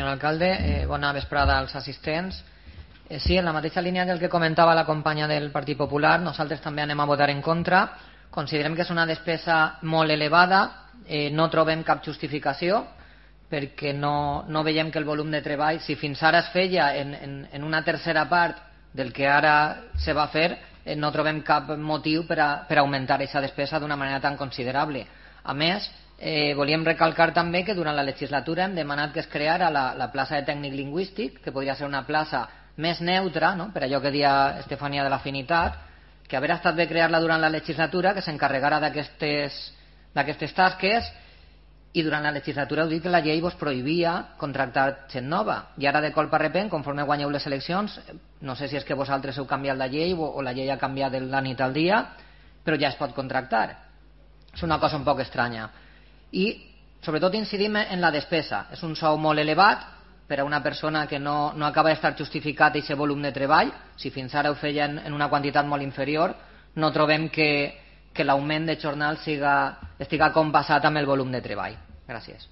senyor alcalde. Bona vesprada als assistents. Sí, en la mateixa línia del que comentava la companya del Partit Popular, nosaltres també anem a votar en contra. Considerem que és una despesa molt elevada, no trobem cap justificació, perquè no veiem que el volum de treball, si fins ara es feia en una tercera part del que ara se va fer, no trobem cap motiu per augmentar aquesta despesa d'una manera tan considerable. A més, volíem recalcar també que durant la legislatura hem demanat que es creara la plaça de tècnic lingüístic, que podria ser una plaça més neutra, no? Per allò que deia Estefania de l'Afinitat, que haver estat bé crear-la durant la legislatura, que s'encarregara d'aquestes tasques, i durant la legislatura heu dit que la llei vos prohibia contractar gent nova, i ara de colp a repent, conforme guanyeu les eleccions, no sé si és que vosaltres heu canviat la llei o la llei ha canviat de la nit al dia, però ja es pot contractar. És una cosa un poc estranya. I sobretot incidim en la despesa. És un sou molt elevat per a una persona que no acaba d'estar justificat aquest volum de treball. Si fins ara ho feien en una quantitat molt inferior, no trobem que l'augment de jornal estiga compassat amb el volum de treball. Gràcies.